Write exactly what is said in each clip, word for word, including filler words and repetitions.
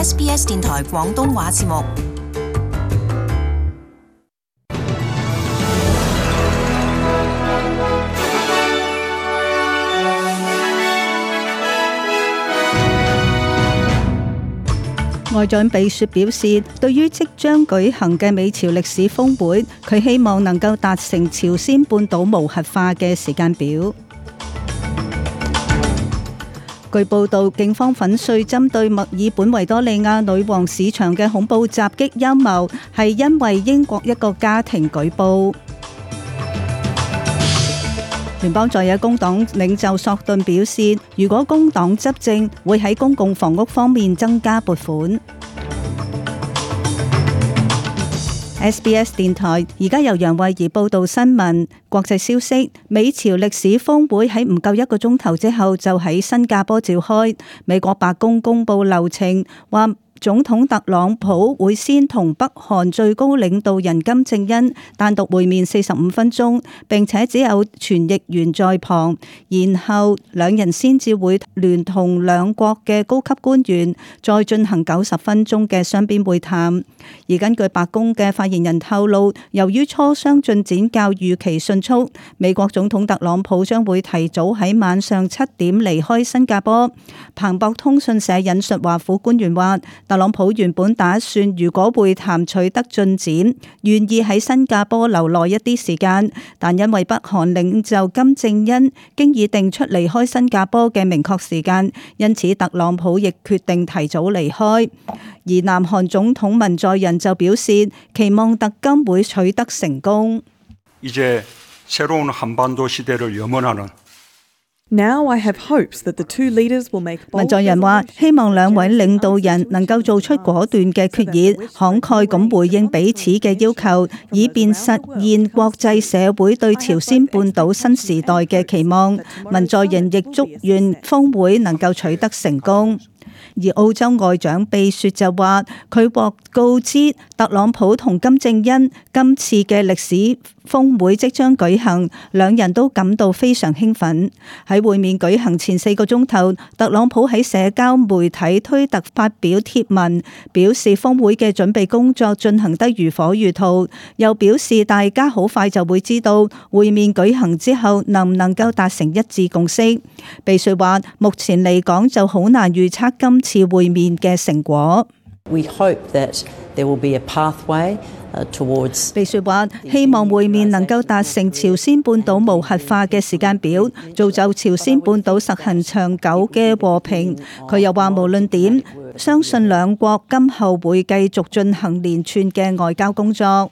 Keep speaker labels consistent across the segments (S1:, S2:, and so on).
S1: S B S 電台廣東話節目。
S2: 外長比雪表示，對於即將舉行嘅美朝歷史峰會，佢希望能夠達成朝鮮半島無核化嘅時間表。據報道，警方粉碎針對墨爾本維多利亞女王市場嘅恐怖襲擊陰謀，係因為英國一個家庭舉報。聯邦在野工黨領袖索頓表示，如果工黨執政，會喺公共房屋方面增加撥款。S B S 電台而家由楊慧儀報道新聞。國際消息，美朝歷史峰會喺唔夠一個鐘頭之後就喺新加坡召開。美國白宮公佈流程，話總統特朗普會先同北韓最高領導人金正恩單獨會面四十五分鐘，並且只有傳譯員在旁，然後兩人先至會聯同兩國嘅高級官員再進行九十分鐘嘅雙邊會談。而根據白宮嘅發言人透露，由於磋商進展較預期迅速，美國總統特朗普將會提早喺晚上七點離開新加坡。彭博通訊社引述華府官員話，特朗普原本打算如果會談取得進展，願意喺新加坡留耐一啲時間，但因為北韓領袖金正恩經已定出離開新加坡嘅明確時間，因此特朗普亦決定提早離開。而南韓總統文在寅就表示，期望特金會取得成功。
S3: 이제 새로운 한반도 시대를 염원하는
S4: Now I have hopes that the two leaders will make bold.
S2: 文在寅話：希望兩位領導人能夠做出果斷嘅決議，慷慨咁回應彼此嘅要求，以便實現國際社會對朝鮮半島新時代嘅期望。文在寅亦祝願峰會能夠取得成功。而澳洲外長比雪就話，佢獲告知特朗普同金正恩今次嘅歷史峰會即將舉行，兩人都感到非常興奮。喺會面舉行前四個鐘頭，特朗普喺社交媒體推特發表貼文，表示峰會嘅準備工作進行得如火如荼，又表示大家好快就會知道會面舉行之後能唔能夠達成一致共識。比雪話，目前嚟講就好難預測今次會面嘅成果。
S5: We hope that there will be a pathway towards。
S2: 比雪話，希望會面能夠達成朝鮮半島無核化嘅時間表，造就朝鮮半島實行長久嘅和平。佢又話，無論點，相信兩國今後會繼續進行連串嘅外交工作。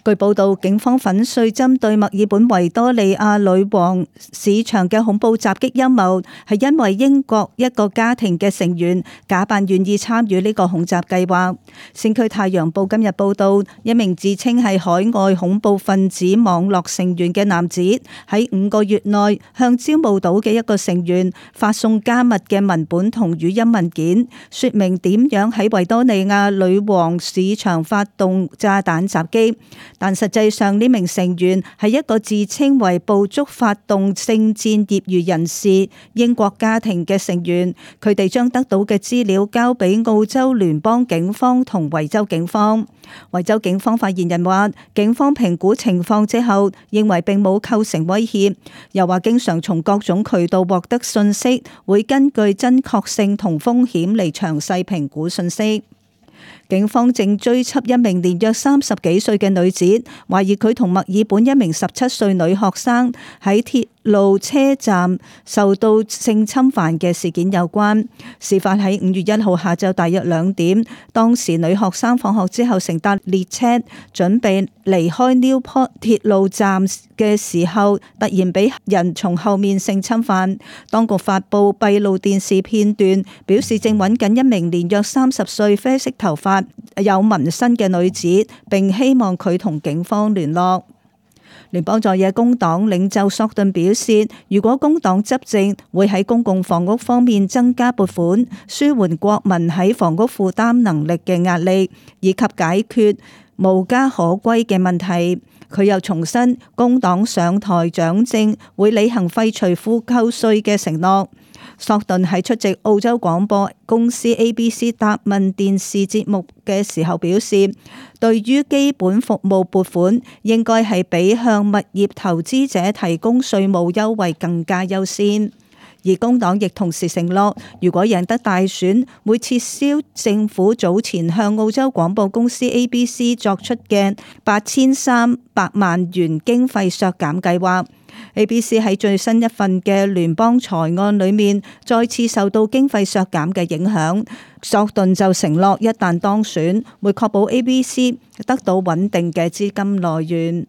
S2: 據報道，警方粉碎針對墨爾本維多利亞女王市場嘅恐怖襲擊陰謀，係因為英國一個家庭嘅成員假扮願意參與呢個恐襲計劃。先驅太陽報今日報道，一名自稱係海外恐怖分子網絡成員嘅男子，喺五個月內向招募到嘅一個成員發送加密嘅文本同語音文件，說明點樣喺維多利亞女王市場發動炸彈襲擊。但實際上呢名成員係一個自稱為捕捉發動聖戰業餘人士英國家庭嘅成員，佢哋將得到嘅資料交俾澳洲聯邦警方同維州警方。維州警方發言人話，警方評估情況之後，認為並冇構成威脅，又話經常從各種渠道獲得信息，會根據真確性同風險嚟詳細評估信息。警方正追緝一名年約三十幾歲嘅女子，懷疑佢同墨爾本一名十七歲女學生喺鐵路車站受到性侵犯嘅事件有關。事發喺五月一號下晝大約兩點，當時女學生放學之後乘搭列車準備離開 Newport 鐵路站嘅時候，突然俾人從後面性侵犯。當局發布閉路電視片段，表示正揾緊一名年約三十歲啡色頭髮有紋身嘅女子，並希望佢同警方聯絡。聯邦在野工黨領袖索頓表示，如果工黨執政，會喺公共房屋方面增加撥款，舒緩國民喺房屋負擔能力嘅壓力，以及解決無家可歸嘅問題。佢又重申，工黨上台掌政會履行廢除富購稅嘅承諾。索頓喺出席澳洲廣播公司 A B C 答問電視節目嘅時候表示，對於基本服務撥款應該係比向物業投資者提供稅務優惠更加優先。而工黨亦同時承諾，如果贏得大選，會撤銷政府早前向澳洲廣播公司 A B C 作出嘅八千三百萬元經費削減計劃。A B C 喺最新一份嘅聯邦財案裏面再次受到經費削減嘅影響。索頓就承諾，一旦當選，會確保 A B C 得到穩定嘅資金來源。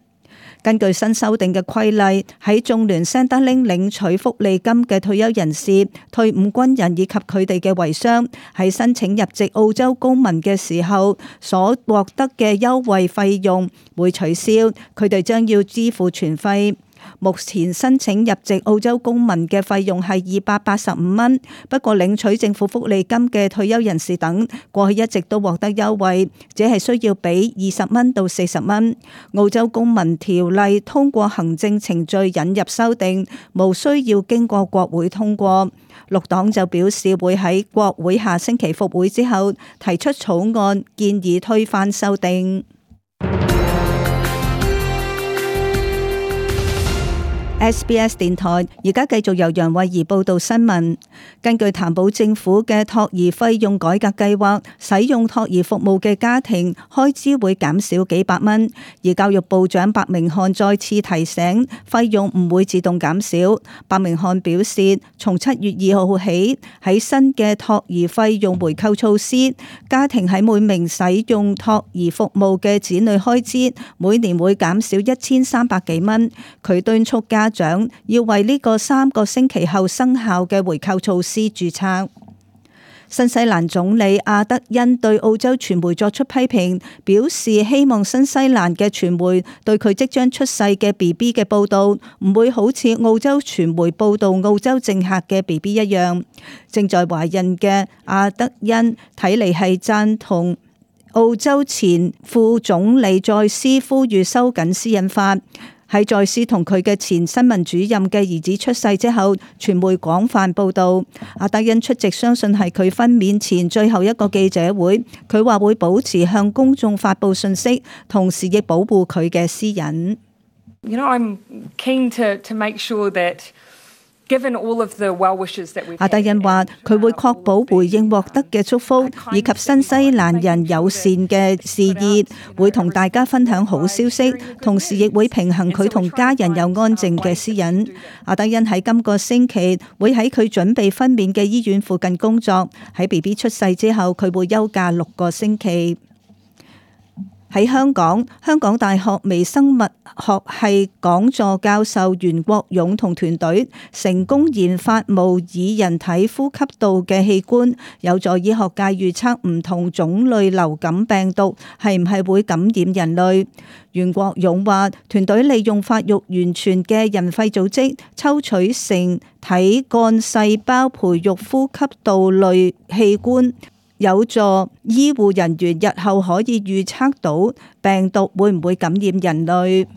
S2: 根據新修訂嘅規例，喺眾聯 Centrelink 領取福利金嘅退休人士、退伍軍人以及佢哋嘅遺孀喺申請入籍澳洲公民嘅時候所獲得嘅優惠費用會取消，佢哋將要支付全費。目前申請入籍澳洲公民嘅費用係二百八十五蚊，不過領取政府福利金嘅退休人士等過去一直都獲得優惠，只係需要俾二十蚊到四十蚊。澳洲公民條例通過行政程序引入修訂，無需要經過國會通過。綠黨就表示會喺國會下星期復會之後提出草案，建議推翻修訂。S B S 電台而家繼續由楊慧儀報道新聞。根據譚寶政府嘅托兒費用改革計劃，使用托兒服務嘅家庭開支會減少幾百蚊。而教育部長白明漢再次提醒，費用唔會自動減少。白明漢表示，從七月二號起，喺新嘅托兒費用回扣措施，家庭喺每名使用托兒服務嘅子女開支每年會減少一千三百幾蚊。佢敦促家長要為呢個三個星期後生效嘅回扣措施註冊。新西蘭總理阿德恩對澳洲傳媒作出批評，表示希望新西蘭嘅傳媒對佢即將出世嘅 B B 嘅報導唔會好似澳洲傳媒報導澳洲政客嘅 B B 一樣。正在懷孕嘅阿德恩睇嚟係贊同澳洲前副總理再斯呼籲收緊私隱法。喺再斯同佢嘅前新聞主任嘅兒子出世之後，傳媒廣泛報導。阿德恩出席相信係佢分娩前最後一個記者會，佢話會保持向公眾發布信息，同時亦保護佢嘅私隱。
S6: You know, I'm keen to to make sure that given all of the well wishes that we've had.
S2: 阿德恩話：佢會確保回應獲得嘅祝福，以及新西蘭人友善嘅事意，會同大家分享好消息，同時亦會平衡佢同家人有安靜嘅私隱。阿德恩喺今個星期會喺佢準備分娩嘅醫院附近工作。喺 B B 出世之後，佢會休假六個星期。喺香港，香港大學微生物學系講座教授袁國勇同團隊成功研發模擬人體呼吸道嘅器官，有助醫學界預測唔同種類流感病毒係唔係會感染人類。袁國勇話，團隊利用發育完全嘅人肺組織抽取成體幹細胞培育呼吸道類器官，有助醫護人員日後可以預測到病毒會唔會感染人類。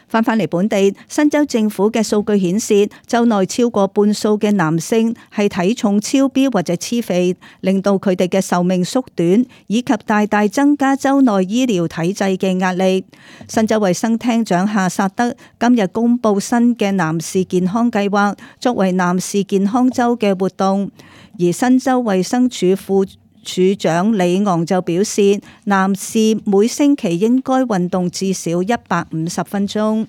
S2: 翻返嚟本地，新州政府嘅數據顯示，州內超過半數嘅男性係體重超標或者黐肥，令到佢哋嘅壽命縮短，以及大大增加州內醫療體制嘅壓力。新州衛生廳長夏薩德今日公布新嘅男士健康計劃，作為男士健康週嘅活動。而新州衛生署副署長李昂就表示，男士每星期應該運動至少一百五十分鐘。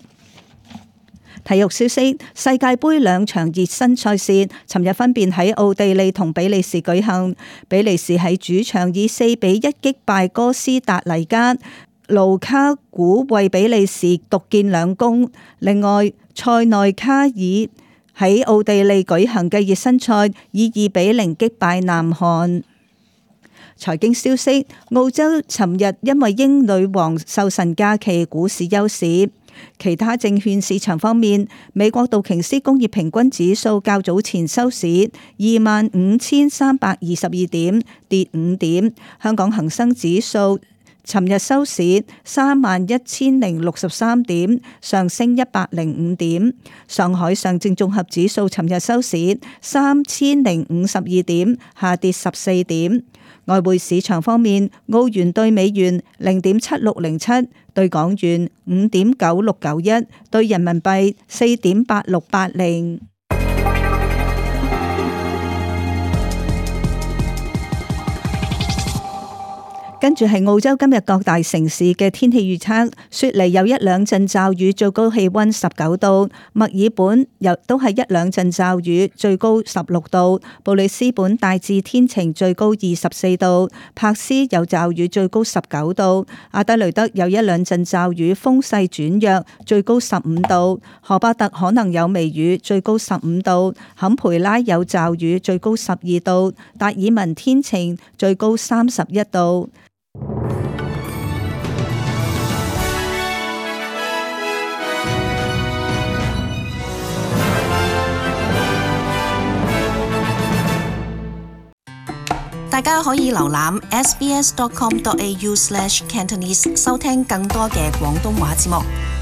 S2: 體育消息：世界盃兩場熱身賽事，尋日分別喺奧地利同比利時舉行。比利時喺主場以四比一擊敗哥斯達黎加，盧卡古為比利時獨建兩功。另外，塞內卡爾喺奧地利舉行嘅熱身賽，以二比零擊敗南韓。財經消息：澳洲尋日因為英女王壽辰假期，股市休市。其他證券市場方面，美國道瓊斯工業平均指數較早前收市二萬五千三百二十二點，跌五點。香港恒生指數尋日收市三萬一千零六十三點，上升一百零五點。上海上證綜合指數尋日收市三千零五十二點，下跌十四點。外匯市場方面，澳元兌美元零點七六零七，兌港元五點九六九一，兌人民幣四點八六八零。跟住係澳洲今日各大城市嘅天氣預測，雪梨有一兩陣驟雨，最高氣溫十九度；墨爾本又都係一兩陣驟雨，最高十六度；布里斯本大致天晴，最高二十四度；柏斯有驟雨，最高十九度；阿德雷德有一兩陣驟雨，風勢轉弱，最高十五度；荷巴特可能有微雨，最高十五度；坎培拉有驟雨，最高十二度；達爾文天晴，最高三十一度。
S1: 大家可以瀏覽 s b s dot com dot a u slash cantonese 收聽更多嘅廣東話節目。